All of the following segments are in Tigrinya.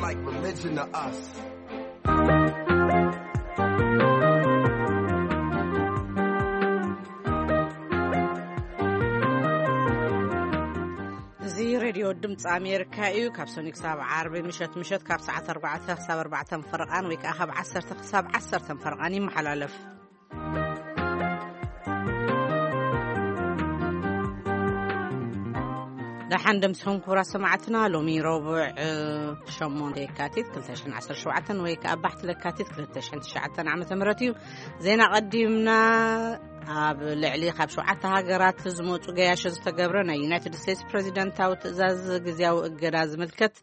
Like religion to us. እዚ ሬድዮ ድምፂ ኣሜሪካ እዩ። ካብ ሰኒ ክሳብ ዓርቢ ምሸት ምሸት ካብ ሰዓት ኣርባዕተ ክሳብ ኣርባዕተ ፈረቓን ወይ ከዓ ካብ ዓሰርተ ክሳብ ዓሰርተ ፈረቓን ይመሓላለፍ። ደሓን ደምስኹም ክቡራት ሰማዕትና። ሎሚ ረቡዕ ሸሞንተ የካቲት ክልተ ሽሕን ዓሰርተ ሸውዓተን ወይ ከዓ ባሕቲ ለካቲት ክልተ ሽሕን ትሽዓተን ዓመተ ምህረት እዩ። ዜና ቀዲምና። ኣብ ልዕሊ ካብ ሸውዓተ ሃገራት ዝመፁ ገያሾ ዝተገብረ ናይ ዩናይትድ ስቴትስ ፕሬዚደንታዊ ትእዛዝ ግዝያዊ እገዳ ዝምልከት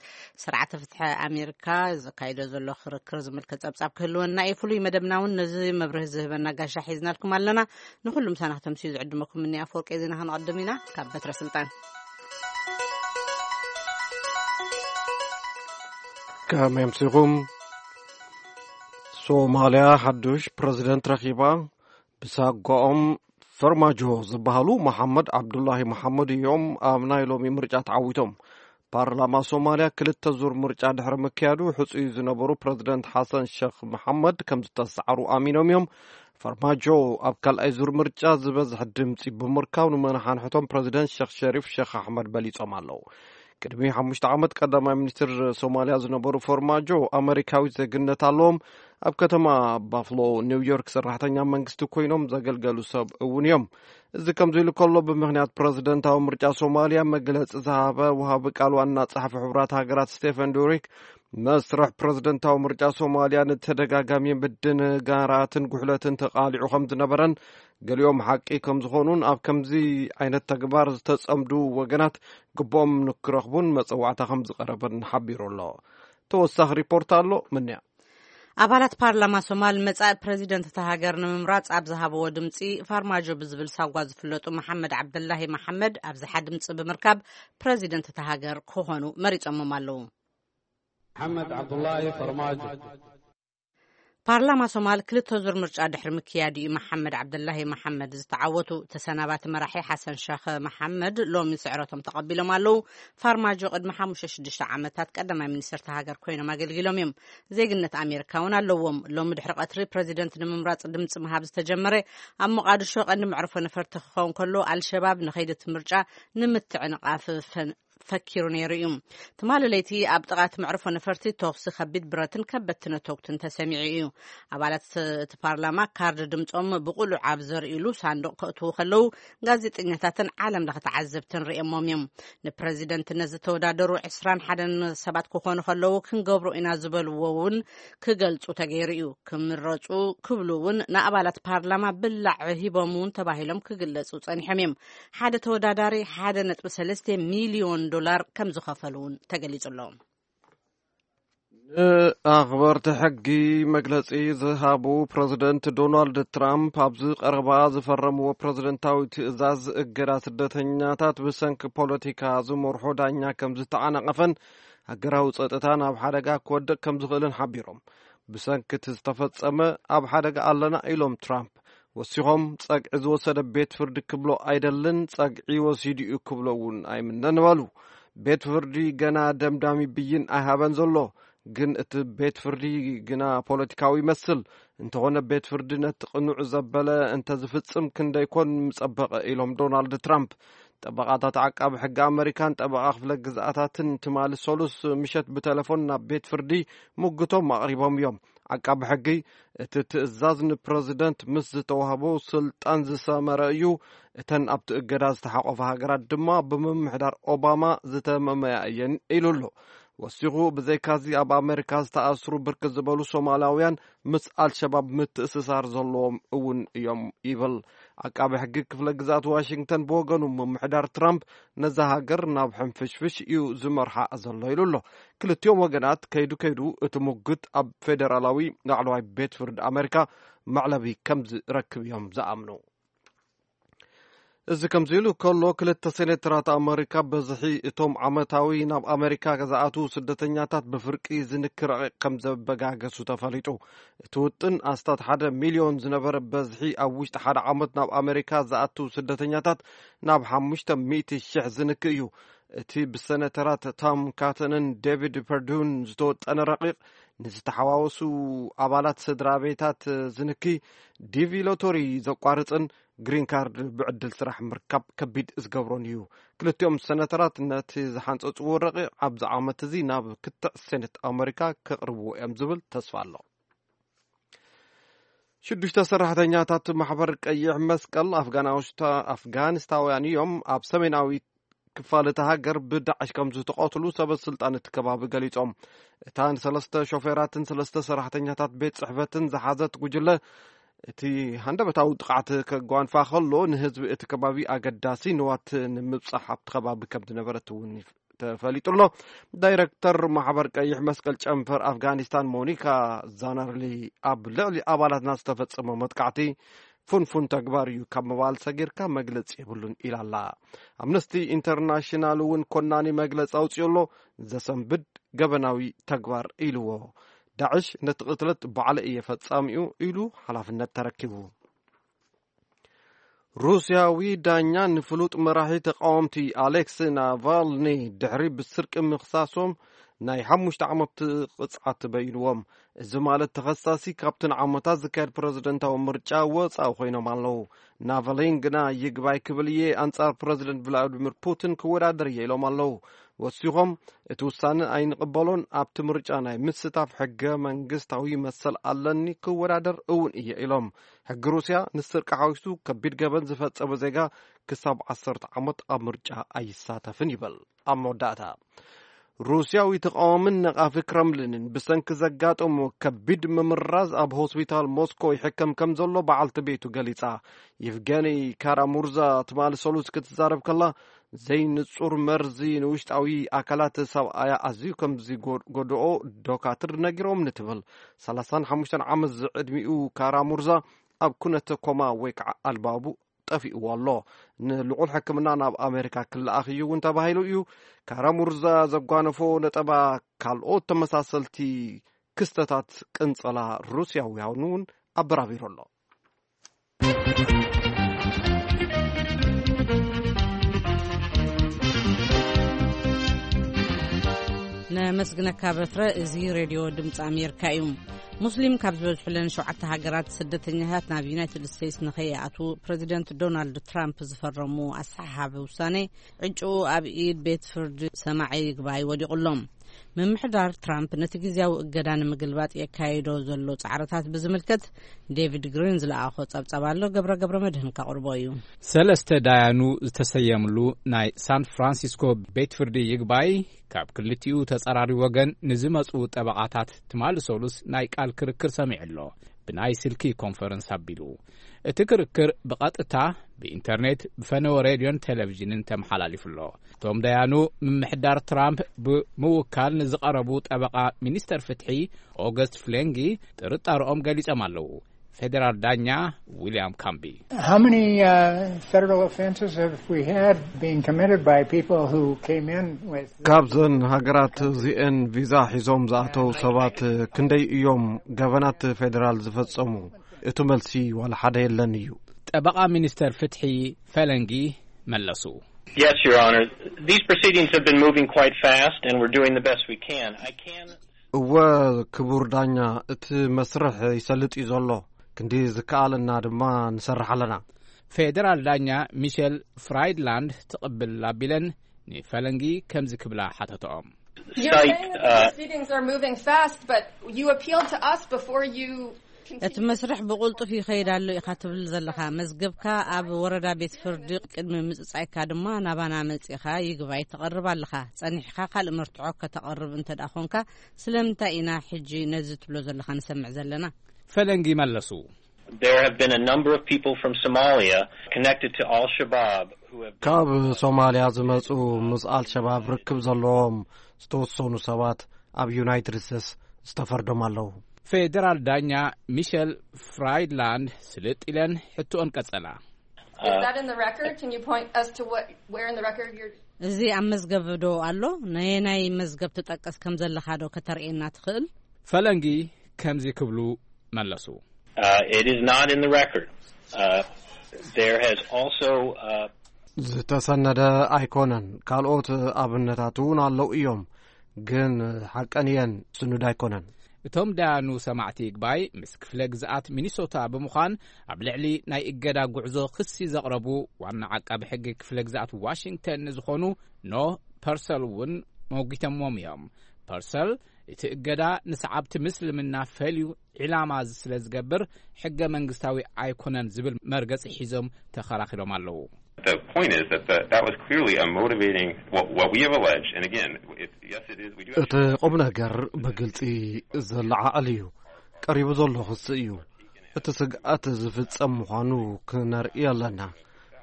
ስርዓተ ፍትሒ ኣሜሪካ ዘካይዶ ዘሎ ክርክር ዝምልከት ጸብጻብ ክህልወና እዩ። ፍሉይ መደብና እውን ነዚ መብርሂ ዝህበና ጋሻ ሒዝናልኩም ኣለና። ንኹሉ ምሳና ክተምስዩ ዝዕድመኩም እኒ ኣፈወርቂ ዜና ክንቐድም ኢና። ካብ በትረ ስልጣን ከመይ ኣምሲኹም? ሶማልያ ሓዱሽ ፕረዚደንት ረኺባ። ብሳጓኦም ፈርማጆ ዝበሃሉ መሓመድ ዓብዱላሂ መሓመድ እዮም ኣብ ናይ ሎሚ ምርጫ ተዓዊቶም። ፓርላማ ሶማልያ ክልተ ዙር ምርጫ ድሕሪ ምክያዱ፣ ሕጹይ ዝነበሩ ፕረዚደንት ሓሰን ሸኽ መሓመድ ከም ዝተሰዓሩ ኣሚኖም እዮም። ፈርማጆ ኣብ ካልኣይ ዙር ምርጫ ዝበዝሕ ድምጺ ብምርካብ፣ ንመነሓንሕቶም ፕረዚደንት ሸኽ ሸሪፍ ሸኽ ኣሕመድ በሊጾም ኣለዉ። ቅድሚ ሓሙሽተ ዓመት ቀዳማይ ሚኒስትር ሶማልያ ዝነበሩ ፈርማጆ ኣመሪካዊ ዜግነት ኣለዎም። ኣብ ከተማ ባፍሎ ኒውዮርክ ሰራሕተኛ መንግስቲ ኮይኖም ዘገልገሉ ሰብ እውን እዮም። እዚ ከምዚ ኢሉ ከሎ፣ ብምኽንያት ፕረዚደንታዊ ምርጫ ሶማልያ መግለጺ ዝሃበ ወሃቢ ቃል ዋና ጸሓፊ ሕቡራት ሃገራት ስቴፈን ዱሪክ፣ መስርሕ ፕረዚደንታዊ ምርጫ ሶማልያ ንተደጋጋሚ ምድንጋራትን ጉሕለትን ተቓሊዑ ከም ዝነበረን፣ ገሊኦም ሓቂ ከም ዝኾኑን ኣብ ከምዚ ዓይነት ተግባር ዝተጸምዱ ወገናት ግብኦም ንክረኽቡን መጸዋዕታ ከም ዝቐረበን ሓቢሩ ኣሎ። ተወሳኺ ሪፖርት ኣሎ። ምንያ? ኣባላት ፓርላማ ሶማል መጻኢ ፕረዚደንት እታ ሃገር ንምምራጽ ኣብ ዝሃብዎ ድምጺ፣ ፋርማጆ ብዝብል ሳጓ ዝፍለጡ መሓመድ ዓብደላሂ መሓመድ ኣብዝሓ ድምጺ ብምርካብ ፕረዚደንት እታ ሃገር ክኾኑ መሪጾሞም ኣለዉ። መሓመድ ዓብዱላሂ ፈርማጆ። ፓርላማ ሶማል ክልተ ዙር ምርጫ ድሕሪ ምክያድ እዩ መሓመድ ዓብደላሂ መሓመድ ዝተዓወቱ። ተሰናባቲ መራሒ ሓሰን ሸኽ መሓመድ ሎሚ ስዕረቶም ተቐቢሎም ኣለዉ። ፋርማጆ ቅድሚ ሓሙሽተ ሽዱሽተ ዓመታት ቀዳማይ ሚኒስትር እታ ሃገር ኮይኖም ኣገልጊሎም እዮም። ዜግነት ኣሜሪካ እውን ኣለዎም። ሎሚ ድሕሪ ቀትሪ ፕረዚደንት ንምምራጽ ድምፂ ምሃብ ዝተጀመረ ኣብ ሞቓድሾ ቀንዲ መዕርፎ ነፈርቲ ክኸውን ከሎ፣ ኣልሸባብ ንኸይዲ እቲ ምርጫ ንምትዕንቓፍ ፈን-፣ ፈኪሩ ነይሩ እዩ። ትማሊ ለይቲ ኣብ ጥቓ እቲ መዕርፎ ነፈርቲ ተኹሲ ከቢድ ብረትን ከበድቲ ነተጉትን ተሰሚዑ እዩ። ኣባላት እቲ ፓርላማ ካርድ ድምፆም ብቕሉዕ ኣብ ዘርእሉ ሳንዱቕ ከእትዉ ከለዉ፣ ጋዜጠኛታትን ዓለም ለኸ ተዓዘብትን ርእዮሞም እዮም። ንፕረዚደንትነት ዝተወዳደሩ ዕስራን ሓደን ሰባት ክኾኑ ከለዉ፣ ክንገብሮ ኢና ዝበልዎ እውን ክገልጹ ተገይሩ እዩ። ክምረጹ ክብሉ እውን ንኣባላት ፓርላማ ብላዕ ሂቦም እውን ተባሂሎም ክግለጹ ጸኒሖም እዮም። ሓደ ተወዳዳሪ ሓደ ነጥቢ ሰለስተ ሚልዮን ዶላር ከም ዝኸፈሉ እውን ተገሊጹ ኣሎ። ንኣኽበርቲ ሕጊ መግለጺ ዝሃቡ ፕረዚደንት ዶናልድ ትራምፕ፣ ኣብዚ ቀረባ ዝፈረምዎ ፕረዚደንታዊ ትእዛዝ እገዳ ስደተኛታት ብሰንኪ ፖለቲካ ዝመርሖ ዳኛ ከም ዝተዓናቐፈን ሃገራዊ ጸጥታ ናብ ሓደጋ ክወድቕ ከም ዝኽእልን ሓቢሮም። ብሰንኪ እቲ ዝተፈጸመ ኣብ ሓደጋ ኣለና ኢሎም ትራምፕ። ወሲኾም፣ ጸግዒ ዝወሰደ ቤት ፍርዲ ክብሎ ኣይደልን፣ ጸግዒ ወሲዱ እዩ ክብሎ እውን ኣይምነን በሉ። ቤት ፍርዲ ገና ደምዳሚ ብይን ኣይሃበን ዘሎ፣ ግን እቲ ቤት ፍርዲ ግና ፖለቲካዊ ይመስል። እንተኾነ ቤት ፍርዲ ነቲ ቅኑዕ ዘበለ እንተዝፍጽም ክንደይኮን ምጸበቐ ኢሎም ዶናልድ ትራምፕ። ጠበቓታት ዓቃቢ ሕጊ ኣመሪካን ጠበቓ ክፍለ ግዝኣታትን ትማሊ ሰሉስ ምሸት ብተለፎን ናብ ቤት ፍርዲ ሙግቶም ኣቕሪቦም እዮም። ዓቃቢ ሕጊ፣ እቲ ትእዛዝ ንፕረዚደንት ምስ ዝተዋህቦ ስልጣን ዝሰመረ እዩ፣ እተን ኣብቲ እገዳ ዝተሓቆፋ ሃገራት ድማ ብምምሕዳር ኦባማ ዝተመመያ እየን ኢሉ ኣሎ። ወሲኹ፣ ብዘይካዚ ኣብ ኣመሪካ ዝተኣስሩ ብርክት ዝበሉ ሶማላውያን ምስ ኣልሸባብ ምትእስሳር ዘለዎም እውን እዮም ይብል። ዓቃቢ ሕጊ ክፍለ ግዝኣት ዋሽንግተን ብወገኑ፣ ምምሕዳር ትራምፕ ነዛ ሃገር ናብ ሕንፍሽፍሽ እዩ ዝመርሓ ዘሎ ኢሉ ኣሎ። ክልቲኦም ወገናት ከይዱ ከይዱ እቲ ሙግት ኣብ ፌደራላዊ ላዕለዋይ ቤት ፍርዲ ኣመሪካ መዕለቢ ከም ዝረክብ እዮም ዝኣምኑ። እዚ ከምዚ ኢሉ ከሎ፣ ክልተ ሴኔተራት ኣመሪካ በዝሒ እቶም ዓመታዊ ናብ ኣመሪካ ዝኣትዉ ስደተኛታት ብፍርቂ ዝንኪ ረቂቕ ከም ዘበጋገሱ ተፈሊጡ። እቲ ውጥን ኣስታት ሓደ ሚልዮን ዝነበረ በዝሒ ኣብ ውሽጢ ሓደ ዓመት ናብ ኣመሪካ ዝኣትዉ ስደተኛታት ናብ ሓሙሽተ ሚእቲ ሽሕ ዝንኪ እዩ። እቲ ብሰነተራት ቶም ካተንን ዴቪድ ፐርዱን ዝተወጠነ ረቂቕ፣ ንዝተሓዋወሱ ኣባላት ስድራ ቤታት ዝንኪ ዲቪ ሎቶሪ ዘቋርጽን ግሪን ካርድ ብዕድል ስራሕ ምርካብ ከቢድ ዝገብሮን እዩ። ክልቲኦም ሰነተራት ነቲ ዝሓንጸጽዎ ረቂቕ ኣብዚ ዓመት እዚ ናብ ክትዕ ሴኔት ኣመሪካ ከቕርብዎ እዮም ዝብል ተስፋ ኣሎ። ሽዱሽተ ሰራሕተኛታት ማሕበር ቀይሕ መስቀል ኣፍጋናውሽታ-፣ ኣፍጋኒስታውያን እዮም ኣብ ሰሜናዊ ክፋል እታ ሃገር ብዳዕሽ ከም ዝተቐትሉ ሰበ ስልጣን እቲ ከባቢ ገሊጾም። እታ ንሰለስተ ሾፌራትን ሰለስተ ሰራሕተኛታት ቤት ጽሕፈትን ዝሓዘት ጉጅለ፣ እቲ ሃንደበታዊ ጥቕዓት ከጓንፋ ከሎ፣ ንህዝቢ እቲ ከባቢ ኣገዳሲ ንዋት ንምብጻሕ ኣብቲ ከባቢ ከም ዝነበረት እውን ይፍ-፣ ተፈሊጡ ኣሎ። ዳይረክተር ማሕበር ቀይሕ መስቀል ጨንፈር ኣፍጋኒስታን ሞኒካ ዛናርሊ፣ ኣብ ልዕሊ ኣባላትና ዝተፈጸመ መጥቃዕቲ ፍንፉን ተግባር እዩ፣ ካብ ምባል ሰጊርካ መግለጺ የብሉን ኢላ ኣላ። ኣምነስቲ ኢንተርናሽናል እውን ኮናኒ መግለጺ ኣውጺኡ ኣሎ። ዘሰንብድ ገበናዊ ተግባር ኢልዎ። ዳዕሽ ነቲ ቅትለት ባዕለ እየ ፈጻሚኡ ኢሉ ሓላፍነት ተረኪቡ። ሩስያዊ ዳኛ ንፍሉጥ መራሒ ተቃወምቲ ኣሌክስ ናቫልኒ ድሕሪ ብስርቂ ምኽሳሶም ናይ ሓሙሽተ ዓመት ቅጽዓት ተበይንዎም። እዚ ማለት ተኸሳሲ ካብቲ ንዓመታት ዝካየድ ፕረዚደንታዊ ምርጫ ወጻኢ ኮይኖም ኣለዉ። ናቫሊን ግና ይግባይ ክብል እየ፣ ኣንጻር ፕረዚደንት ቭላዲሚር ፑቲን ክወዳደር እየ ኢሎም ኣለዉ። ወሲኾም፣ እቲ ውሳነ ኣይንቕበሎን፣ ኣብቲ ምርጫ ናይ ምስታፍ ሕገ መንግስታዊ መሰል ኣለኒ፣ ክወዳደር እውን እየ ኢሎም። ሕጊ ሩስያ ንስርቂ ሓዊሱ ከቢድ ገበን ዝፈጸመ ዜጋ ክሳብ ዓሰርተ ዓመት ኣብ ምርጫ ኣይሳተፍን ይብል። ኣብ መወዳእታ፣ ሩስያዊ ተቃዋምን ነቃፊ ክረምሊንን ብሰንኪ ዘጋጠሞ ከቢድ ምምራዝ ኣብ ሆስፒታል ሞስኮ ይሕከም ከም ዘሎ በዓልቲ ቤቱ ገሊጻ። ይቭገኒ ካራሙርዛ ትማሊ ሰሉስ ክትዛረብ ከላ፣ ዘይንጹር መርዚ ንውሽጣዊ ኣካላት ሰብኣያ ኣዝዩ ከም ዝጎድኦ ዶካትር ነጊሮምኒ ትብል። ሰላሳን ሓሙሽተን ዓመት ዝዕድሚኡ ካራሙርዛ ኣብ ኩነተ ኮማ ወይ ከዓ ኣልባቡ ጠፊእዎ ኣሎ። ንልዑል ሕክምና ናብ ኣሜሪካ ክለኣኽ እዩ እውን ተባሂሉ እዩ። ካራሙርዛ ዘጓነፎ ነጠባ ካልኦት ተመሳሰልቲ ክስተታት ቅንጸላ ሩስያውያን እውን ኣበራቢሩ ኣሎ። ነመስግነካ በትረ። እዚ ሬድዮ ድምፂ ኣሜሪካ እዩ። ሙስሊም ካብ ዝበዝሑለን ሸውዓተ ሃገራት ስደተኛታት ናብ ዩናይትድ ስቴትስ ንኸይኣትዉ ፕረዚደንት ዶናልድ ትራምፕ ዝፈረሙ ኣሰሓሓቢ ውሳኔ ዕጭኡ ኣብ ኢድ ቤት ፍርዲ ሰማዒ ይግባይ ወዲቑሎም። ምምሕዳር ትራምፕ ነቲ ግዝያዊ እገዳ ንምግልባጥ የካይዶ ዘሎ ጻዕርታት ብዝምልከት ዴቪድ ግሪን ዝለኣኾ ጸብጻብ ኣሎ። ገብረ ገብረ መድህን ከቕርቦ እዩ። ሰለስተ ዳያኑ ዝተሰየምሉ ናይ ሳን ፍራንሲስኮ ቤት ፍርዲ ይግባይ ካብ ክልቲኡ ተጸራሪ ወገን ንዝመጹ ጠበቓታት ትማሊ ሰሉስ ናይ ቃል ክርክር ሰሚዑ ኣሎ። ብናይ ስልኪ ኮንፈረንስ ኣቢሉ። እቲ ክርክር ብቐጥታ ብኢንተርኔት፣ ብፈነወ ሬድዮን ቴሌቪዥንን ተመሓላሊፉ ኣሎ። እቶም ደያኑ ምምሕዳር ትራምፕ ብምውካል ንዝቐረቡ ጠበቓ ሚኒስተር ፍትሒ ኦገስት ፍሌንጊ ጥርጣርኦም ገሊጾም ኣለዉ። ፌዴራል ዳኛ ዊልያም ካምቢ። How many uh, federal offenses have we had being committed by people who came in with ካብዘን ሃገራት እዚአን ቪዛ ሒዞም ዝኣተው ሰባት ክንደይ እዮም ገበናት ፌዴራል ዝፈጸሙ? እቲ መልሲ ዋላ ሓደ የለን እዩ። ጠበቓ ሚኒስተር ፍትሒ ፈለንጊ መለሱ። Yes, Your Honor. These proceedings have been moving quite fast, and we're doing the best we can. I can እወ፣ ክቡር ዳኛ፣ እቲ መስርሕ ይሰልጥ እዩ ዘሎ። ክንዲ ዝከኣለና ድማ ንሰርሕ ኣለና። ፌደራል ዳኛ ሚሸል ፍራይድላንድ ትቕብል ኣቢለን ንፈለንጊ ከምዚ ክብላ ሓተተኦም። You're cite, saying that the uh, proceedings are moving fast, but you appealed to us before you እቲ መስርሕ ብቕልጡፍ ይኸይድ ኣሎ ኢኻ ትብል ዘለኻ። መዝገብካ ኣብ ወረዳ ቤት ፍርዲ ቅድሚ ምጽጻይካ ድማ ናባና መጺኻ ይግባይ ተቐርብ ኣለኻ። ጸኒሕካ ካልእ መርትዖ ከተቐርብ እንተ ደኣ ኾንካ፣ ስለምንታይ ኢና ሕጂ ነዚ ትብሎ ዘለኻ ንሰምዕ ዘለና? ፈለንጊ መለሱ። There have been a number of people from Somalia connected to Al-Shabaab who have ካብ ሶማልያ ዝመጹ ምስ ኣልሸባብ ርክብ ዘለዎም ዝተወሰኑ ሰባት ኣብ ዩናይትድ ስቴትስ ዝተፈርዶም ኣለዉ። ፌደራል ዳኛ ሚሸል ፍራይድላንድ ስልጥ ኢለን ሕቶኦን ቀጸላ። Is that in the record? Can you point us to what, where in the record you're እዚ ኣብ መዝገብ ዶ ኣሎ? ነየናይ መዝገብ ትጠቅስ ከም ዘለኻ ዶ ከተርእየና ትኽእል? ፈለንጊ ከምዚ ክብሉ መለሱ። Uh, it is not in the record. Uh, there has also uh, ዝተሰነደ ኣይኮነን። ካልኦት ኣብነታት እውን ኣለዉ እዮም፣ ግን ሓቀን እየን፣ ስኑድ ኣይኮነን። እቶም ዳያኑ ሰማዕቲ ይግባይ ምስ ክፍለ ግዝኣት ሚኒሶታ ብምዃን ኣብ ልዕሊ ናይ እገዳ ጉዕዞ ክሲ ዘቕረቡ ዋና ዓቃቢ ሕጊ ክፍለ ግዝኣት ዋሽንግተን ንዝኾኑ ኖ ፐርሰል እውን መጒተሞም እዮም። ፐርሰል እቲ እገዳ ንሰዓብቲ ምስልምና ፈልዩ ዒላማ ስለ ዝገብር ሕገ መንግስታዊ ኣይኮነን ዝብል መርገጺ ሒዞም ተኸራኺሮም ኣለዉ። The point is that the, that was clearly a motivating, what, what we have alleged, and again, it, yes, it is, we do have እቲ ቁም ነገር ብግልጺ ዘለዓዕል እዩ። ቀሪቡ ዘሎ ክሲ እዩ። እቲ ስግኣት ዝፍጸም ምዃኑ ክነርኢ ኣለና።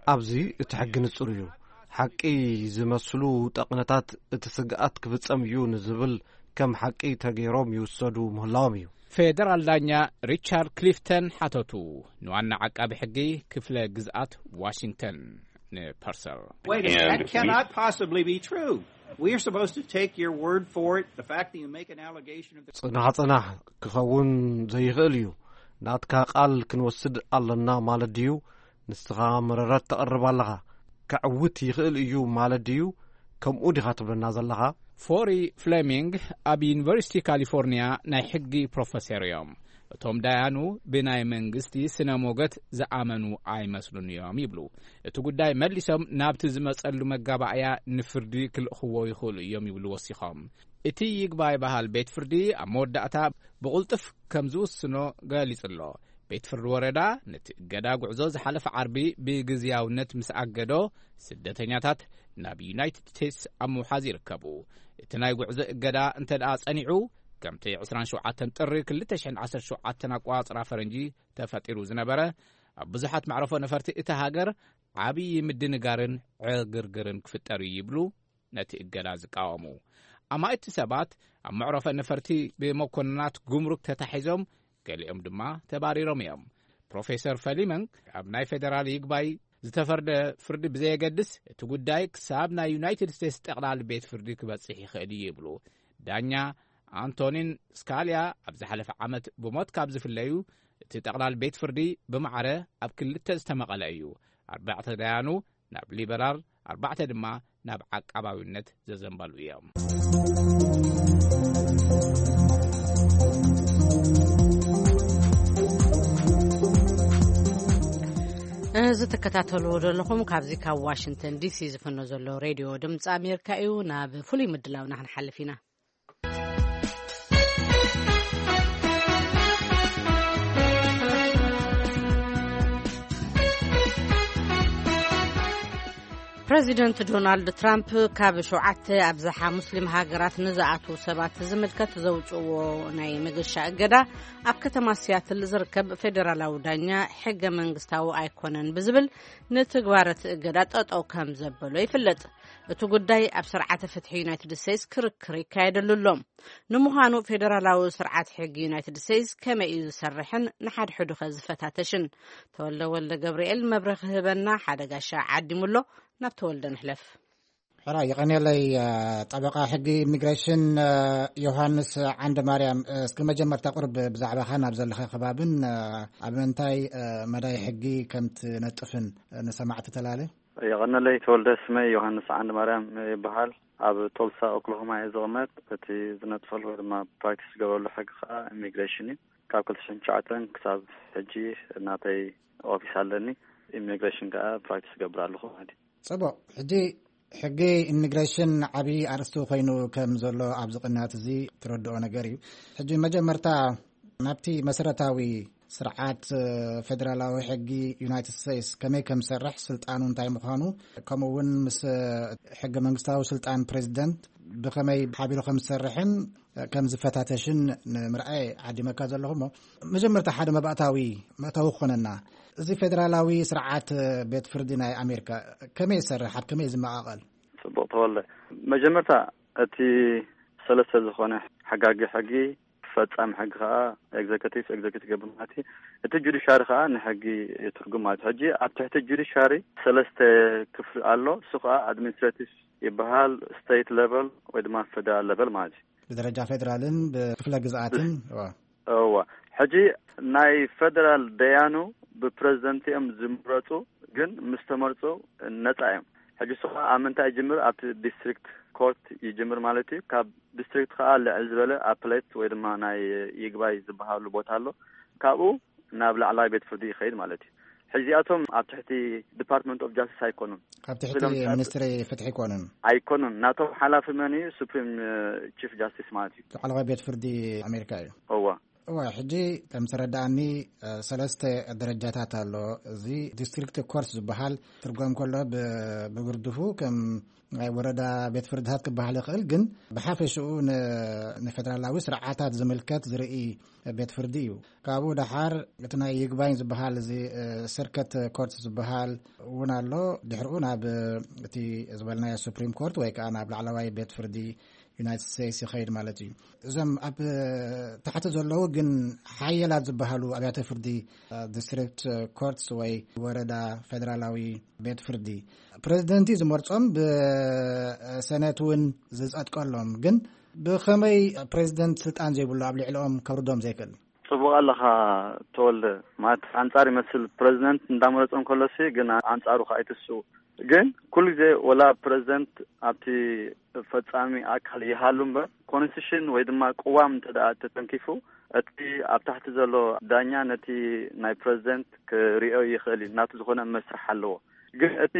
ኣብዚ እቲ ሕጊ ንጹር እዩ። ሓቂ ዝመስሉ ጠቕነታት እቲ ስግኣት ክፍጸም እዩ ንዝብል ከም ሓቂ ተገይሮም ይውሰዱ ምህላዎም እዩ። ፌደራል ዳኛ ሪቻርድ ክሊፍተን ሓተቱ፣ ንዋና ዓቃቢ ሕጊ ክፍለ ግዝኣት ዋሽንግተን ንፐርሰል። Wait a minute, that And we cannot possibly be true. We are supposed to take your word for it. The fact that you make an allegation of the ጽናሕ ጽናሕ ክኸውን ዘይኽእል እዩ። ናትካ ቃል ክንወስድ ኣለና ማለት ድዩ? ንስኻ መረረት ተቕርብ ኣለኻ። ከዕውት ይኽእል እዩ ማለት ድዩ? ከምኡ ዲኻ ትብለና ዘለኻ? ፎሪ ፍሌሚንግ ኣብ ዩኒቨርሲቲ ካሊፎርኒያ ናይ ሕጊ ፕሮፌሰር እዮም። እቶም ዳያኑ ብናይ መንግስቲ ስነ ሞገት ዝኣመኑ ኣይመስሉን እዮም ይብሉ። እቲ ጉዳይ መሊሶም ናብቲ ዝመጸሉ መጋባእያ ንፍርዲ ክልእኽዎ ይኽእሉ እዮም ይብሉ ወሲኾም። እቲ ይግባይ በሃል ቤት ፍርዲ ኣብ መወዳእታ ብቕልጡፍ ከም ዝውስኖ ገሊጹ ኣሎ። ቤት ፍርዲ ወረዳ ነቲ እገዳ ጉዕዞ ዝሓለፈ ዓርቢ ብግዝያውነት ምስ ኣገዶ፣ ስደተኛታት ናብ ዩናይትድ ስቴትስ ኣብ ምውሓዝ ይርከቡ። እቲ ናይ ጉዕዞ እገዳ እንተ ደኣ ጸኒዑ፣ ከምቲ ዕስራን ሸውዓተን ጥሪ ክልተ ሽሕን ዓሰርተ ሸውዓተን ኣቆጻጽራ ፈረንጂ ተፈጢሩ ዝነበረ፣ ኣብ ብዙሓት መዕረፎ ነፈርቲ እታ ሃገር ዓብዪ ምድንጋርን ዕግርግርን ክፍጠር እዩ ይብሉ ነቲ እገዳ ዝቃወሙ። ኣማኢቲ ሰባት ኣብ መዕረፎ ነፈርቲ ብመኮንናት ጉምሩክ ተታሒዞም፣ ገሊኦም ድማ ተባሪሮም እዮም። ፕሮፌሰር ፈሊመንግ ኣብ ናይ ፌደራል ይግባይ ዝተፈርደ ፍርዲ ብዘየገድስ፣ እቲ ጉዳይ ክሳብ ናይ ዩናይትድ ስቴትስ ጠቕላሊ ቤት ፍርዲ ክበጽሕ ይኽእል እዩ ይብሉ። ዳኛ ኣንቶኒን ስካልያ ኣብ ዝሓለፈ ዓመት ብሞት ካብ ዝፍለዩ፣ እቲ ጠቕላሊ ቤት ፍርዲ ብማዕረ ኣብ ክልተ ዝተመቐለ እዩ። ኣርባዕተ ዳያኑ ናብ ሊበራል፣ ኣርባዕተ ድማ ናብ ዓቃባዊነት ዘዘንበሉ እዮም። እዚ ትከታተልዎ ዘለኹም ካብዚ ካብ ዋሽንግተን ዲሲ ዝፍኖ ዘሎ ሬድዮ ድምፂ ኣሜሪካ እዩ። ናብ ፍሉይ ምድላውና ክንሓልፍ ኢና። ፕረዚደንት ዶናልድ ትራምፕ ካብ ሸውዓተ ኣብዝሓ ሙስሊም ሃገራት ንዝኣትዉ ሰባት ዝምልከት ዘውፅእዎ ናይ መገሻ እገዳ ኣብ ከተማ ሲያትል ዝርከብ ፌደራላዊ ዳኛ ሕገ መንግስታዊ ኣይኮነን ብዝብል ንትግባረ እቲ እገዳ ጠጠው ከም ዘበሎ ይፍለጥ። እቲ ጉዳይ ኣብ ስርዓተ ፍትሒ ዩናይትድ ስቴትስ ክርክር ይካየደሉ ኣሎ። ንምዃኑ ፌደራላዊ ስርዓት ሕጊ ዩናይትድ ስቴትስ ከመይ እዩ ዝሰርሕን ንሓድሕዱ ከ ዝፈታተሽን? ተወልደ ወልደ ገብርኤል መብርሂ ክህበና ሓደ ጋሻ ዓዲሙ ኣሎ። ናብ ተወልደ ንሕለፍ። ሕራይ የቐንየለይ። እ፣ ጠበቓ ሕጊ ኢሚግሬሽን፣ እ፣ ዮሃንስ ዓንደ ማርያም፣ እ፣ እስኪ መጀመርታ ቁርብ ብዛዕባኻ ናብ ዘለኻ ከባብን፣ እ፣ ኣብ ምንታይ፣ እ፣ መዳይ ሕጊ ከም ትነጥፍን፣ እ፣ ንሰማዕቲ ተላለ። የቐንየለይ ተወልደ፣ ስመይ ዮሃንስ ዓንደ ማርያም ይበሃል። ኣብ ቶልሳ ኦክላሆማ እየ ዝቕመጥ። እቲ ዝነጥፈሉ ወይ ድማ ፕራክቲስ ዝገብረሉ ሕጊ ከዓ ኢሚግሬሽን እዩ። ካብ ክልተ ሽሕን ትሽዓተን ክሳብ ሕጂ ናተይ ኦፊስ ኣለኒ። ኢሚግሬሽን ከዓ ፕራክቲስ እገብር ኣለኹ ማለት እዩ። ጽቡቕ። ሕጂ ሕጊ ኢሚግሬሽን ዓብዪ ኣርእስቲ ኮይኑ ከም ዘሎ ኣብዚ ቅንያት እዚ ትረድኦ ነገር እዩ። ሕጂ መጀመርታ ናብቲ መሰረታዊ ስርዓት፣ እ፣ ፌደራላዊ ሕጊ ዩናይትድ ስቴትስ ከመይ ከም ዝሰርሕ፣ ስልጣኑ እንታይ ምዃኑ፣ ከምኡ እውን ምስ፣ እ፣ ሕገ መንግስታዊ ስልጣን ፕሬዚደንት ብኸመይ ሓቢሩ ከም ዝሰርሕን፣ እ፣ ከም ዝፈታተሽን ንምርኣይ ዓዲመካ ዘለኹ እሞ፣ መጀመርታ ሓደ መባእታዊ መእተዊ ክኾነና፣ እዚ ፌደራላዊ ስርዓት፣ እ፣ ቤት ፍርዲ ናይ ኣሜሪካ ከመይ ይሰርሕ፣ ኣብ ከመይ ዝመቓቐል? ጽቡቕ ተወልደ፣ መጀመርታ እቲ ሰለስተ ዝኾነ ሓጋጊ ሕጊ ፈጻሚ ሕጊ ከኣ ኤግዘከቲቭ፣ ኤግዘከቲቭ ገብር ማለት እዩ። እቲ ጁዲሻሪ ከኣ ንሕጊ ይትርጉም ማለት እዩ። ሕጂ ኣብ ትሕቲ ጁዲሻሪ ሰለስተ ክፍሊ ኣሎ። እሱ ከኣ ኣድሚኒስትሬቲቭ ይበሃል፣ ስቴት ሌቨል ወይ ድማ ፌደራል ሌቨል ማለት እዩ። ብደረጃ ፌደራልን ብክፍለ ግዝኣትን፣ እዋ። እዋ። ሕጂ ናይ ፌደራል ደያኑ ብፕረዚደንት እዮም ዝምረጹ። ግን ምስ ተመርጹ ነጻ እዮም። ሕጂ እሱ ኸኣ ኣብ ምንታይ ይጅምር? ኣብቲ ዲስትሪክት ኮርት ይጅምር ማለት እዩ። ካብ ዲስትሪክት ኸኣ ልዕል ዝበለ ኣፕሌት ወይ ድማ ናይ ይግባይ ዝበሃሉ ቦታ ኣሎ። ካብኡ ናብ ላዕላይ ቤት ፍርዲ ይኸይድ ማለት እዩ። ሕዚኣቶም ኣብ ትሕቲ ዲፓርትመንት ኦፍ ጃስቲስ ኣይኮኑን። ኣብ ትሕቲ ኢሎም ሚኒስትሪ ፍትሒ ኣይኮኑን። ኣይኮኑን። ናቶም ሓላፊ መን እዩ? ሱፕሪም ቺፍ ጃስቲስ ማለት እዩ። ላዕለዋይ ቤት ፍርዲ ኣሜሪካ እዩ። እዋ። እዋ፣ ሕጂ ከም ዝተረዳኣኒ ሰለስተ ደረጃታት ኣሎ። እዚ ዲስትሪክት ኮርት ዝበሃል ትርጓም ከሎ ብግርድፉ ከም ናይ ወረዳ ቤት ፍርድታት ክበሃል ይኽእል፣ ግን ብሓፈሽኡ ንፌደራላዊ ስርዓታት ዝምልከት ዝርኢ ቤት ፍርዲ እዩ። ካብኡ ደሓር እቲ ናይ ይግባኝ ዝበሃል፣ እዚ ስርከት ኮርት ዝበሃል እውን ኣሎ። ድሕርኡ ናብ እቲ ዝበልናዮ ሱፕሪም ኮርት ወይ ከዓ ናብ ላዕለዋይ ቤት ፍርዲ ዩናይትድ ስቴትስ ይኸይድ ማለት እዩ። እዞም ኣብ ታሕቲ ዘለዉ ግን ሓየላት ዝበሃሉ ኣብያተ ፍርዲ፣ ዲስትሪክት ኮርትስ ወይ ወረዳ ፌደራላዊ ቤት ፍርዲ፣ ፕሬዚደንት ዝመርጾም፣ ብሰነት እውን ዝጸድቀሎም፣ ግን ብኸመይ ፕሬዚደንት ስልጣን ዘይብሉ ኣብ ልዕሊኦም ከውርዶም ዘይክእል? ጽቡቕ ኣለኻ ተወልደ። ማለት ኣንጻር ይመስል ፕሬዚደንት እንዳመረጾም ከሎሲ፣ ግን ኣንጻሩ ከኣ ኣይትስኡ። ግን ኩሉ ግዜ ወላ ፕሬዚደንት ኣብቲ ፈጻሚ ኣካል ይሃሉ እምበር፣ ኮንስቲቱሽን ወይ ድማ ቅዋም እንተ ደኣ ተተንኪፉ፣ እቲ ኣብ ታሕቲ ዘሎ ዳኛ ነቲ ናይ ፕሬዚደንት ክርእዮ ይኽእል እዩ፣ ናቱ ዝኾነ መስርሕ ኣለዎ። ግን እቲ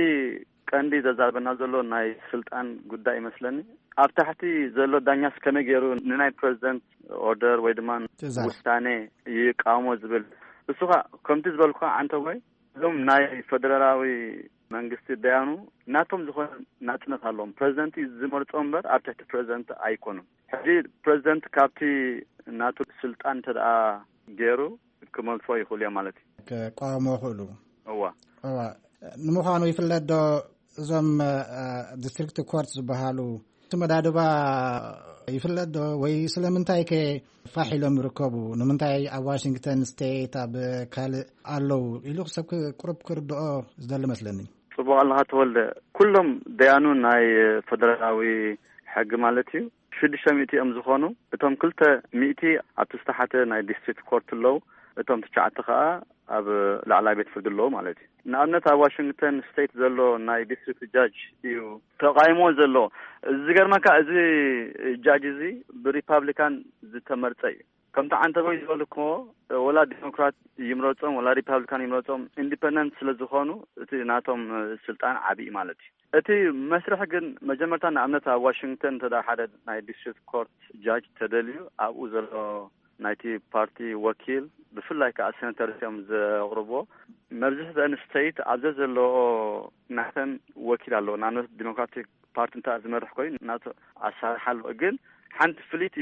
ቀንዲ ዘዛርበና ዘሎ ናይ ስልጣን ጉዳይ ይመስለኒ። ኣብ ታሕቲ ዘሎ ዳኛስ ከመይ ገይሩ ንናይ ፕሬዚደንት ኦርደር ወይ ድማ ትእዛዝ ውሳኔ ይቃወሞ ዝብል? እሱ ኸኣ ከምቲ ዝበልኩ ዓንተቦይ፣ እዞም ናይ ፈደራላዊ መንግስቲ ደያኑ ናቶም ዝኾነ ናጽነት ኣለዎም። ፕሬዚደንት እዩ ዝመርጾ እምበር ኣብ ትሕቲ ፕሬዚደንት ኣይኮኑን። ሕጂ ፕሬዚደንት ካብቲ ናቱ ስልጣን እንተ ደኣ ገይሩ ክመልሶ ይኽእሉ እዮም ማለት እዩ። ክቃወሞ ይኽእሉ። እዋ። እዋ። ንምዃኑ ይፍለጥ ዶ እዞም፣ እ፣ ዲስትሪክት ኮርት ዝበሃሉ እቲ መዳድባ ይፍለጥ ዶ? ወይ ስለምንታይ ከ ፋሕ ኢሎም ይርከቡ? ንምንታይ ኣብ ዋሽንግተን ስቴት ኣብ ካልእ ኣለዉ ኢሉ ሰብ ክ-፣ ቁሩብ ክርድኦ ዝደሊ መስለኒ። ጽቡቕ ኣለኻ ተወልደ። ኩሎም ደያኑ ናይ ፈደራላዊ ሕጊ ማለት እዩ ሽዱሽተ ሚእቲ እዮም ዝኾኑ። እቶም ክልተ ሚእቲ ኣብቲ ዝተሓተ ናይ ዲስትሪክት ኮርት ኣለዉ። እቶም ትሽዓተ ከኣ ኣብ ላዕላይ ቤት ፍርዲ ኣለዉ ማለት እዩ። ንኣብነት ኣብ ዋሽንግተን ስቴት ዘሎ ናይ ዲስትሪክት ጃጅ እዩ ተቓይሞ ዘሎ። ዝገርመካ እዚ ጃጅ እዚ ብሪፓብሊካን ዝተመርጸ እዩ። ከምቲ ዓንተቦይ ዝበልክዎ ወላ ዲሞክራት ይምረጾም ወላ ሪፓብሊካን ይምረጾም ኢንዲፐንደንት ስለ ዝኾኑ እቲ ናቶም ስልጣን ዓቢ እዩ ማለት እዩ። እቲ መስርሕ ግን መጀመርታ ንኣብነት ኣብ ዋሽንግተን እንተ ሓደ ናይ ዲስትሪክት ኮርት ጃጅ ተደልዩ ኣብኡ ዘሎ ናይቲ ፓርቲ ወኪል ብፍላይ ከዓ ሴናተርስ እዮም ዘቕርብዎ። መብዝሕተን ስቴት ኣብ ዘዘለኦ ናተን ወኪል ኣለዎ። ንኣብነት ዲሞክራቲክ ፓርቲ እንተ ዝመርሕ ኮይኑ ናቱ ኣሰራርሓ ኣለዎ። ግን ሓንቲ ፍልይቲ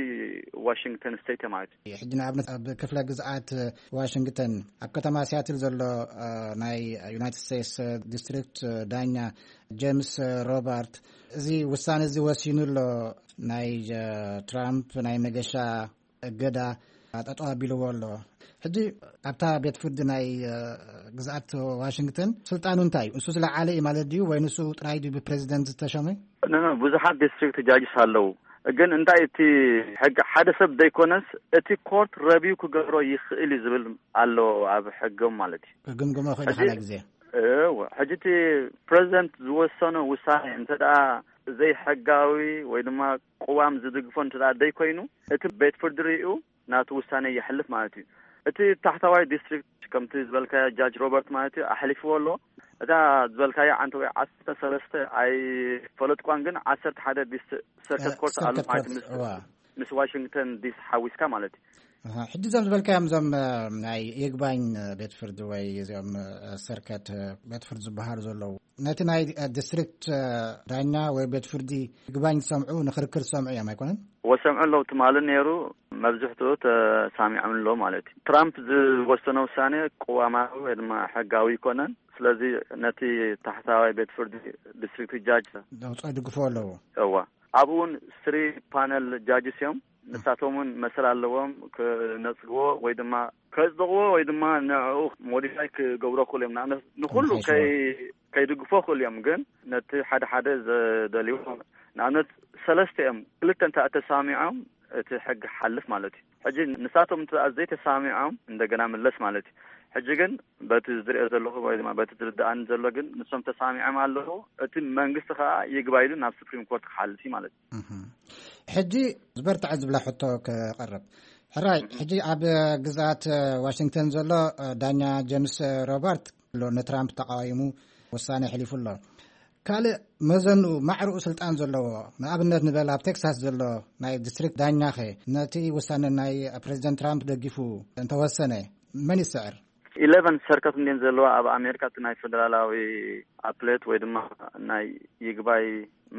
ዋሽንግተን ስቴት እያ ማለት እዩ። ሕጂ ንኣብነት ኣብ ክፍለ ግዝኣት ዋሽንግተን ኣብ ከተማ ሲያትል ዘሎ፣ እ፣ ናይ ዩናይትድ ስቴትስ ዲስትሪክት ዳኛ ጄምስ ሮበርት እዚ ውሳነ እዚ ወሲኑ ኣሎ። ናይ፣ እ፣ ትራምፕ ናይ መገሻ እገዳ ጠጠው ኣቢልዎ ኣሎ። ሕጂ ኣብታ ቤት ፍርዲ ናይ፣ እ፣ ግዝኣት ዋሽንግተን ስልጣኑ እንታይ እዩ? እሱ ዝለዓለ እዩ ማለት ድዩ? ወይ ንሱ ጥራይ ድዩ ብፕሬዚደንት ዝተሸመ? ኖ፣ ኖ፣ ብዙሓት ዲስትሪክት ጃጅስ ኣለዉ። ግን እንታይ እቲ ሕጊ ሓደ ሰብ ዘይኮነስ እቲ ኮርት ረቪው ክገብሮ ይኽእል እዩ ዝብል ኣሎ ኣብ ሕጎም ማለት እዩ። ክግምግሞ ይኽእል እዩ ሕጂ፣ ሓደ ግዜ። እወ፣ ሕጂ እቲ ፕሬዚደንት ዝወሰኖ ውሳኔ እንተ ደኣ ዘይሕጋዊ ወይ ድማ ቅዋም ዝድግፎ እንተ ደኣ ዘይኮይኑ፣ እቲ ቤት ፍርዲ ሪኡ ናቱ ውሳኔ የሕልፍ ማለት እዩ። እቲ ታሕታዋይ ዲስትሪክት ከምቲ ዝበልካዮ ጃጅ ሮበርት ማለት እዩ ኣሕሊፍዎ ኣሎ። እታ ዝበልካዮ ዓንተ ወይ ዓሰርተ ሰለስተ ኣይፈለጥኳን፣ ግን ዓሰርተ ሓደ ዲስ-፣ ሰርክል እ፣ ኮርት ኣሎ ሰርክል ማለት ኮርት፣ ምስ፣ እዋ። ምስ ዋሽንግተን ዲሲ ሓዊስካ ማለት እዩ። ኣሃ፣ ሕጂ እዞም ዝበልካዮም እዞም፣ እ፣ ናይ ይግባኝ፣ እ፣ ቤት ፍርዲ ወይ እዚኦም፣ እ፣ ሰርክል፣ እ፣ ቤት ፍርዲ ዝበሃሉ ዘለዉ ነቲ ናይ፣ እ፣ ዲስትሪክት፣ እ፣ ዳኛ ወይ ቤት ፍርዲ ይግባኝ ዝሰምዑ ንክርክር ዝሰምዑ እዮም ኣይኮነን? ወሰምዑ ኣለዉ ትማሊ ነይሩ። መብዝሕትኡ ተሳሚዖም ኣሎ ማለት እዩ። ትራምፕ ዝወሰነ ውሳኔ ቅዋማዊ ወይ ድማ ሕጋዊ ኣይኮነን። ስለዚ ነቲ ታሕታዋይ ቤት ፍርዲ ዲስትሪክት ጃጅ ዘውፅኦ ይድግፍዎ ኣለዉ። እዋ። ኣብኡ እውን ስሪ ፓነል ጃጅስ እዮም። ንሳቶም እውን መሰል ኣለዎም ክነጽግዎ ወይ ድማ ከጽድቕዎ ወይ ድማ ንዕኡ ሞዲፋይ ክገብሮ ክእሉ እዮም። ንኣብነት ንኹሉ ከይ-፣ ከይድግፎ ክእሉ እዮም። ግን ነቲ ሓደ ሓደ ዘደልይዎ ንኣብነት ሰለስተ እዮም። ክልተ እንተ ተሳሚዖም እቲ ሕጊ ሓልፍ ማለት እዩ። ሕጂ ንሳቶም እንተ ዘይተሳሚዖም እንደገና ምለስ ማለት እዩ። ሕጂ ግን በቲ ዝሪኦ ዘለኹ ወይ ድማ በቲ ዝርድኣኒ ዘሎ ግን ንሶም ተሳሚዖም ኣለዉ። እቲ መንግስቲ ከዓ ይግባይ ኢሉ ናብ ሱፕሪም ኮርት ክሓልፍ እዩ ማለት እዩ። ሕጂ ዝበርትዐ ዝብላ ሕቶ ክቐርብ ሕራይ ሕጂ ኣብ ግዛት ዋሽንግተን ዘሎ ዳኛ ጀምስ ሮበርት ኣሎ ንትራምፕ ተቃዋይሙ ውሳነ ሕሊፉ ኣሎ። ካልእ መዘኑ ማዕርኡ ስልጣን ዘለዎ ንኣብነት ንበል ኣብ ቴክሳስ ዘሎ ናይ ዲስትሪክት ዳኛ ኸ ነቲ ውሳነ ናይ ፕሬዚደንት ትራምፕ ደጊፉ እንተወሰነ መን ይስዕር? ኢለቨን ሰርከት እንዲን ዘለዋ ኣብ ኣሜሪካ እቲ ናይ ፌደራላዊ ኣፕሌት ወይ ድማ ናይ ይግባይ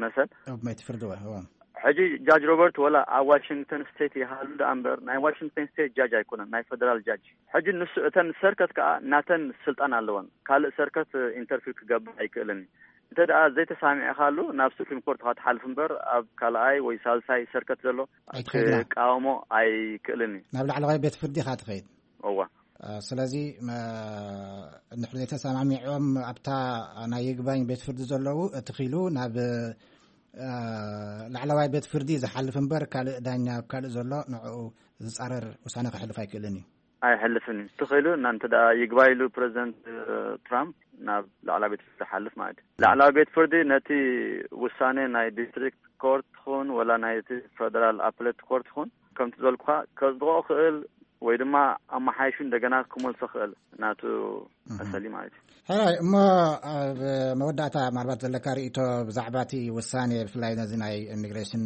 መሰል ኣብ መይቲ ፍርዲ ወ ሕጂ ጃጅ ሮበርት ወላ ኣብ ዋሽንግተን ስቴት ይሃሉ ደኣ እምበር ናይ ዋሽንግተን ስቴት ጃጅ ኣይኮነን፣ ናይ ፌደራል ጃጅ። ሕጂ ንሱ እተን ሰርከት ከዓ ናተን ስልጣን ኣለወን። ካልእ ሰርከት ኢንተርፊር ክገብር ኣይክእልን እዩ። እንተ ደኣ ዘይተሳሚዕካሉ ናብ ሱፕሪም ኮርት ክትሓልፍ እምበር ኣብ ካልኣይ ወይ ሳልሳይ ሰርከት ዘሎ ኣይትኸይድና። ክቃወሞ ኣይክእልን እዩ። ናብ ላዕለዋይ ቤት ፍርዲ ኢኻ ትኸይድ። እዋ ስለዚ ንሕሪ ዘይተሰማሚዖም ኣብታ ናይ ይግባኝ ቤት ፍርዲ ዘለዉ እቲ ኪሉ ናብ ላዕለዋይ ቤት ፍርዲ ዝሓልፍ እምበር ካልእ ዳኛ ኣብ ካልእ ዘሎ ንዕኡ ዝፃረር ውሳነ ክሕልፍ ኣይክእልን እዩ። ኣይሕልፍን እዩ። ትኽእሉ እና እንተ ደኣ ይግባይ ኢሉ ፕሬዚደንት ትራምፕ ናብ ላዕላ ቤት ፍርዲ ሓልፍ ማለት እዩ። ላዕላ ቤት ፍርዲ ነቲ ውሳኔ ናይ ዲስትሪክት ኮርት ትኹን ወላ ናይቲ ፌደራል ኣፕሌት ኮርት ትኹን ከምቲ ዝበልኩኻ ከጽድቆ ክእል ወይ ድማ ኣመሓይሹ እንደገና ክመልሶ ክእል ናቱ መሰሊ ማለት እዩ። ሕራይ እሞ ኣብ መወዳእታ ምናልባት ዘለካ ርእቶ ብዛዕባ እቲ ውሳኔ ብፍላይ ነዚ ናይ ኢሚግሬሽን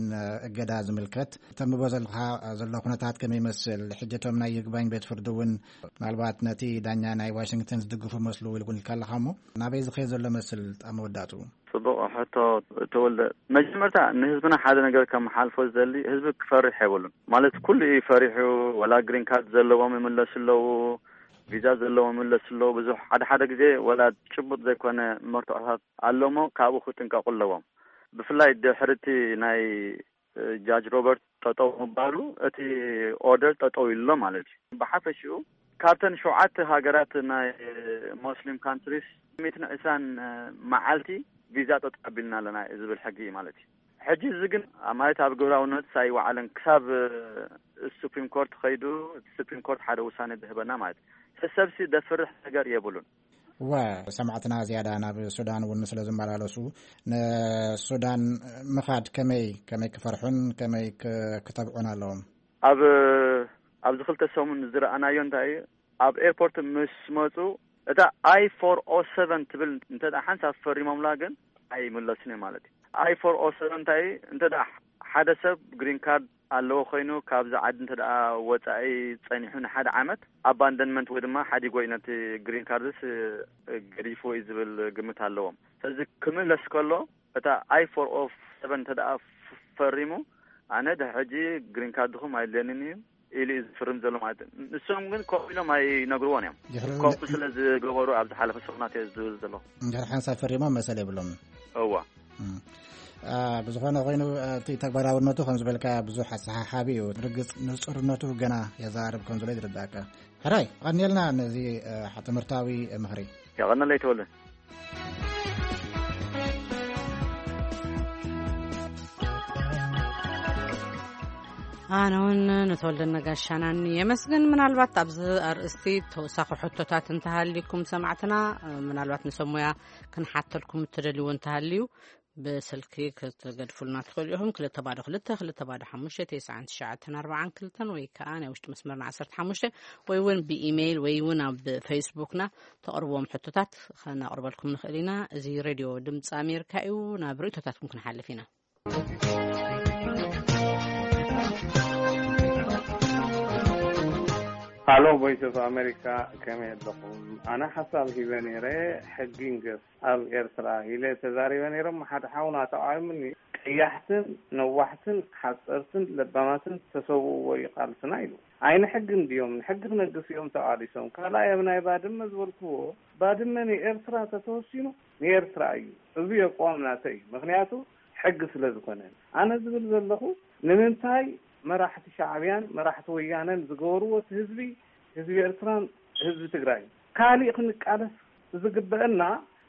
እገዳ ዝምልከት ተንብቦ ዘለካ ዘሎ ኩነታት ከመይ ይመስል? ሕጂ እቶም ናይ ይግባኝ ቤት ፍርዲ እውን ምናልባት ነቲ ዳኛ ናይ ዋሽንግተን ዝድግፉ መስሉ ኢልኩም ኢልካ ኣለካ እሞ ናበይ ዝኸይድ ዘሎ መስል ኣብ መወዳእትኡ? ጽቡቕ ሕቶ ተወልደ። መጀመርታ ንህዝብና ሓደ ነገር ከመሓልፎ ዝደሊ ህዝቢ ክፈርሕ የብሉን። ማለት ኩሉ እዩ ፈሪሑ። ወላ ግሪን ካርድ ዘለዎም ይምለሱ ኣለዉ፣ ቪዛ ዘለዎም ይምለሱ ኣለዉ። ብዙሕ ሓደ ሓደ ግዜ ወላ ጭቡጥ ዘይኮነ መርትዖታት ኣለሞ ካብኡ ክጥንቀቁ ኣለዎም። ብፍላይ ድሕርቲ ናይ ጃጅ ሮበርት ጠጠው ምባሉ እቲ ኦርደር ጠጠው ኢሉ ኣሎ ማለት እዩ። ብሓፈሽኡ ካብተን ሸውዓተ ሃገራት ናይ ሞስሊም ካንትሪስ ሚትን ዕስራን መዓልቲ ቪዛ ጠጠው ኣቢልና ኣለና ዝብል ሕጊ እዩ ማለት እዩ። ሕጂ እዚ ግን ማለት ኣብ ግብራውነት ኣይወዓለን ክሳብ ሱፕሪም ኮርት ከይዱ ሱፕሪም ኮርት ሓደ ውሳኔ ዝህበና ማለት እዩ። ሰብሲ ደፍርሕ ነገር የብሉን። እወ ሰማዕትና ዝያዳ ናብ ሱዳን እውን ስለ ዝመላለሱ ንሱዳን ምኻድ ከመይ ከመይ ክፈርሑን ከመይ ክተብዑን ኣለዎም? ኣብ ኣብዚ ክልተ ሰሙን ዝረኣናዮ እንታይ እዩ፣ ኣብ ኤርፖርት ምስ መፁ እታ ኣይ ፎር ኦ ሰቨን ትብል እንተ ሓንሳብ ፈሪሞምላ ግን ኣይምለሱን እዮም ማለት እዩ። ኣይ ፎር ኦ ሰቨን እንታይ እዩ፣ እንተ ሓደ ሰብ ግሪን ካርድ ኣለዎ ኮይኑ ካብዚ ዓዲ እንተ ደኣ ወጻኢ ጸኒሑ ንሓደ ዓመት ኣባንደንመንት ወይ ድማ ሓዲጎ እዩ ነቲ ግሪን ካርድስ ገዲፍዎ እዩ ዝብል ግምት ኣለዎም። ስለዚ ክምለስ ከሎ እታ ኣይ ፎር ኦ ሰቨን እንተ ደኣ ፈሪሙ ኣነ ድሕጂ ግሪን ካርድኹም ኣይድልየንን እዩ ኢሉ እዩ ዝፍርም ዘሎ ማለት እዩ። ንሶም ግን ኮፍ ኢሎም ኣይነግርዎን እዮም። ኮፍ ስለ ዝገበሩ ኣብ ዝሓለፈ ሰሙናት እየ ዝብል ዘለኹ። እንድሕር ሓንሳብ ፈሪሞም መሰል የብሎም። እዋ ብዝኾነ ኮይኑ እቲ ተግባራውነቱ ከም ዝበልካ ብዙሕ ኣሰሓሓቢ እዩ። ርግፅ ንፁርነቱ ገና የዛርብ ከም ዘሎ ይርዳእካ። ሕራይ ቀኒልና ነዚ ትምህርታዊ ምኽሪ። የቐነለይ ተወልደ። ኣነ እውን ንተወልደ ነጋሻናኒ የመስግን። ምናልባት ኣብዚ ኣርእስቲ ተወሳኺ ሕቶታት እንተሃልዩኩም ሰማዕትና ምናልባት ንሰብ ሞያ ክንሓተልኩም እትደልይዎ እንተሃልዩ ብስልኪ ክትገድፉልና ትኽእሉ ኢኹም። ክልተ ባዶ ክልተ ክልተ ባዶ ሓሙሽተ ተስዓን ትሽዓተን ኣርባዓን ክልተን ወይ ከዓ ናይ ውሽጢ መስመርና ዓሰርተ ሓሙሽተ ወይ እውን ብኢሜይል ወይ እውን ኣብ ፌስቡክና ተቕርብዎም ሕቶታት ከነቕርበልኩም ንኽእል ኢና። እዚ ሬድዮ ድምፂ ኣሜሪካ እዩ። ናብ ርእቶታትኩም ክንሓልፍ ኢና። ሃሎ ቮይስ ኦፍ ኣሜሪካ ከመይ ኣለኹም? ኣነ ሓሳብ ሂበ ነይረ ሕጊ ንገስ ኣብ ኤርትራ ኢለ ተዛሪበ ነይሮም ሓደ ሓውና ተቃዊሙኒ። ቀያሕትን ነዋሕትን ሓፀርትን ለባማትን ዝተሰውእዎ እዩ ቃልስና ኢሉ። ኣይ ንሕጊ እንድዮም ንሕጊ ክነግስ እዮም ተቃሊሶም። ካልኣይ ኣብ ናይ ባድመ ዝበልክዎ ባድመ ንኤርትራ ተተወሲኑ ንኤርትራ እዩ። እዚ የቋም ናተ እዩ። ምክንያቱ ሕጊ ስለ ዝኾነ ኣነ ዝብል ዘለኹ ንምንታይ መራሕቲ ሻዕብያን መራሕቲ ወያነን ዝገበርዎ እቲ ህዝቢ ህዝቢ ኤርትራን ህዝቢ ትግራይ ካሊእ ክንቃለስ ዝግበአና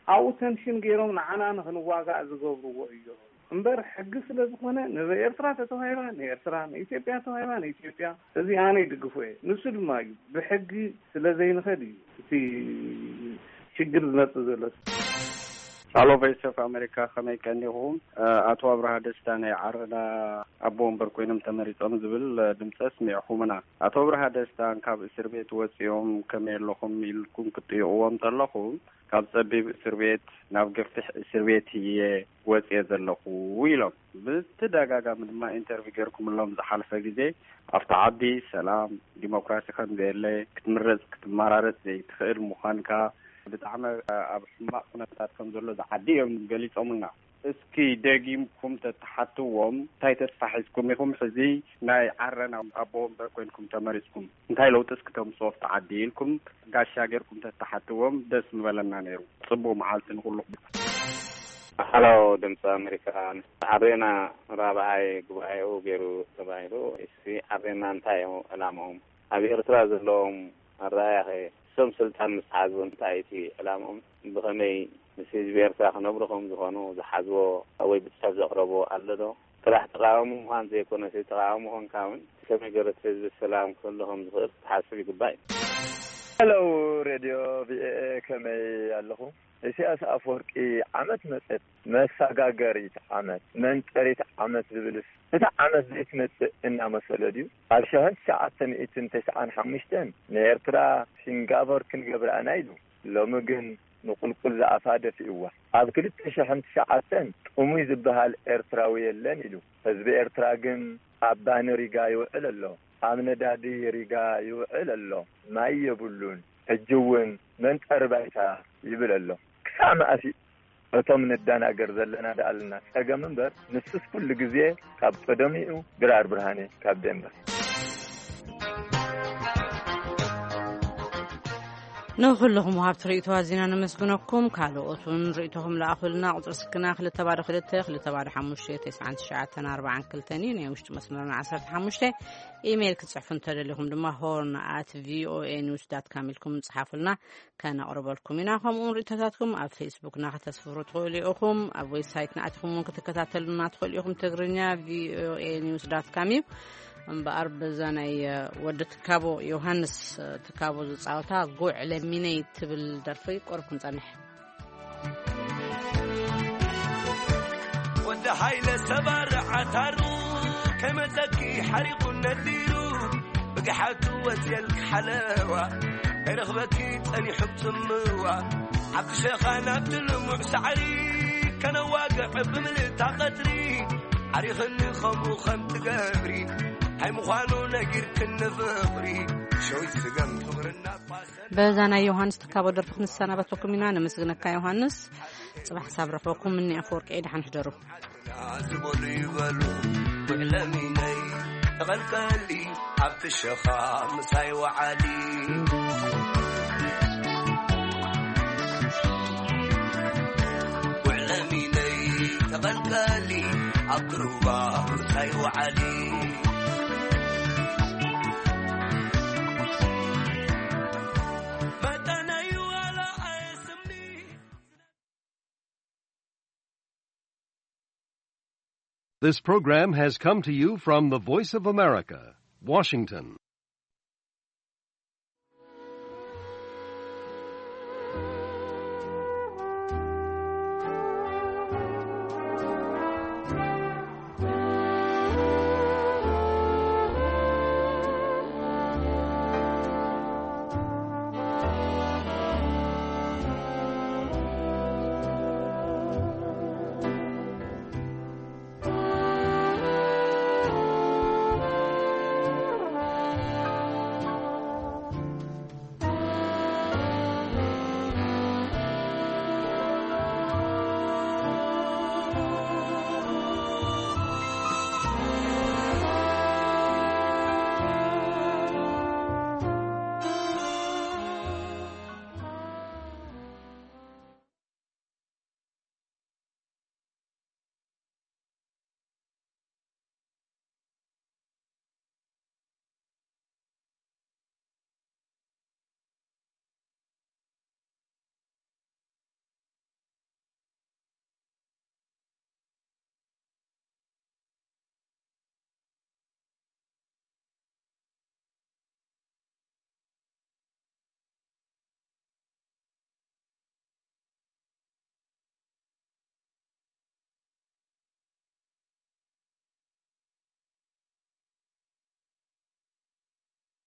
ኣብኡ ተንሽን ገይሮም ንዓና ንክንዋጋእ ዝገብርዎ እዮም። እምበር ሕጊ ስለ ዝኾነ ንኤርትራ ተተዋሂባ ንኤርትራ፣ ንኢትዮጵያ ተዋሂባ ንኢትዮጵያ፣ እዚ ኣነ ይድግፎ እየ። ንሱ ድማ እዩ ብሕጊ ስለ ዘይንኸድ እዩ እቲ ሽግር ዝመጽእ ዘሎ። ሃሎ ቮይስ ኦፍ ኣሜሪካ፣ ከመይ ቀኒኹም? ኣቶ ኣብርሃ ደስታ ናይ ዓረና ኣቦ ወንበር ኮይኖም ተመሪጾም ዝብል ድምፂ ኣስሚዕኹምና። ኣቶ ኣብርሃ ደስታን ካብ እስር ቤት ወፂኦም ከመይ ኣለኹም ኢልኩም ክትጥይቕዎም ተለኹም፣ ካብ ጸቢብ እስር ቤት ናብ ገፊሕ እስር ቤት እየ ወፅየ ዘለኹ ኢሎም። ብተደጋጋሚ ድማ ኢንተርቪው ገይርኩምሎም ዝሓለፈ ግዜ ኣብቲ ዓዲ ሰላም፣ ዲሞክራሲ ከም ዘየለ፣ ክትምረፅ ክትመራረፅ ዘይትኽእል ምዃንካ፣ ብጣዕሚ ኣብ ሕማቕ ኩነታት ከም ዘሎ ዝዓዲ እዮም ገሊፆምልና። እስኪ ደጊምኩም ተተሓትዎም እንታይ ተስፋ ሒዝኩም ኢኹም ሕዚ ናይ ዓረና ኣቦ ወንበር ኮይንኩም ተመሪፅኩም እንታይ ለውጢ እስኪ ተምፅኦ ኣብቲ ዓዲ ኢልኩም ጋሻ ጌርኩም ተተሓትዎም ደስ ምበለና ነይሩ። ፅቡቅ መዓልቲ ንኩሉ። ሃሎ ድምፂ ኣሜሪካ፣ ዓሬና ራብዓይ ጉባኤኡ ገይሩ ተባሂሉ። እስቲ ዓሬና እንታይ እዩ ዕላምኦም? ኣብ ኤርትራ ዘለዎም ኣረኣእያ ኸ? እሶም ስልጣን ምስ ሓዙ እንታይ እቲ ዕላምኦም? ብኸመይ ምስ ህዝቢ ኤርትራ ክነብሩ ከም ዝኾኑ ዝሓዝዎ ወይ ብጽሑፍ ዘቕረብዎ ኣሎ ዶ? ጥራሕ ተቓዋሚ ምዃን ዘይኮነስ፣ ተቓዋሚ ኮንካ እውን ከመይ ገይሩ እቲ ህዝቢ ሰላም ክህሉ ከም ዝኽእል ክትሓስብ ይግባእ እዩ። ሄሎ ሬድዮ ቪኦኤ፣ ከመይ ኣለኹ? ኢሳያስ ኣፈወርቂ ዓመት መጸት፣ መሰጋገሪት ዓመት፣ መንጠሪት ዓመት ዝብልስ፣ እታ ዓመት ዘይትመጽእ እናመሰሎ ድዩ? ኣብ ሸሕን ትሽዓተ ሚእትን ተስዓን ሓሙሽተን ንኤርትራ ሲንጋፖር ክንገብራ ኢና ኢሉ። ሎሚ ግን ንቁልቁል ዝኣፋ ደፊእዋ። ኣብ ክልተ ሽሕን ትሽዓተን ጥሙይ ዝበሃል ኤርትራዊ የለን ኢሉ። ህዝቢ ኤርትራ ግን ኣብ ባኒ ሪጋ ይውዕል ኣሎ፣ ኣብ ነዳዲ ሪጋ ይውዕል ኣሎ፣ ማይ የብሉን። ሕጂ እውን መንጠሪ ባይታ ይብል ኣሎ። ክሳዕ መኣስ እቶም ንደናገር ዘለና ደኣልና ጸገም እምበር፣ ንሱስ ኩሉ ግዜ ካብ ቀደሙ እዩ። ድራር ብርሃኔ ካብ ዴንቨር። ንኹልኹም ወሃብቲ ርእይቶ ኣዚና ነመስግነኩም። ካልኦት እውን ርእይቶኹም ለኣኹልና። ቁጽሪ ስልክና ክልተ ባዶ ክልተ፣ ክልተ ባዶ ሓሙሽተ፣ ተስዓን ትሽዓተን ኣርባዓን ክልተን እዩ። ናይ ውሽጢ መስመርና ዓሰርተ ሓሙሽተ። ኢሜይል ክትጽሕፉ እንተደሊኹም ድማ ሆርን ኣት ቪኦኤ ኒውስ ዳት ካም ኢልኩም ጽሓፉልና፣ ከነቕርበልኩም ኢና። ከምኡውን ርእይቶታትኩም ኣብ ፌስቡክና ከተስፍሩ ትኽእሉ ኢኹም። ኣብ ዌብሳይትና ኣቲኹም እውን ክትከታተሉና ትኽእሉ ኢኹም። ትግርኛ ቪኦኤ ኒውስ ዳት ካም እዩ። እምበኣር በዛ ናይ፣ እ፣ ወዲ ትካቦ ዮሃንስ፣ እ፣ ትካቦ ዝጻወታ ጉዕ ለሚነይ ትብል ደርፊ ቁሩብ ክንጸንሕ። ወዲ ሃይለ ሰባር ዓታሩ ከመጸኪ ሓሪቑ ነዲሩ ብግሓቱ ወጽየልኪ ሓለዋ ከይረኽበኪ ጸኒሑ ጽምዋ ሓፍቲ ሸኻ ናብቲ ልሙዕ ሳዕሪ ከነዋግዕ ብምልእታ ቀትሪ ዓሪኽኒ ከምኡ ከም ትገብሪ እንታይ ምዃኑ ነጊርክኒ ፍቕሪ ሸዊት ስገም ፍቕርና ፋሰ በዛ ናይ ዮሃንስ ትካቦ ደርፊ ክንሰናበተኩም ኢና። ነመስግነካ ዮሃንስ። ጽባሕ ሳብ ረኽበኩም። እኒ ኣፈወርቂ ደሓን ሕደሩ። ዝበሉ ይበሉ ውዕለሚነይ ተቐልቀሊ ኣብቲ ሸኻ ምሳይ ወዓሊ። ውዕለሚነይ ተቐልቀሊ ኣብ ክሩባ ምሳይ ወዓሊ። መጠነይ ዋላ ኣየስምኒ። This program has come to you from the Voice of America, Washington.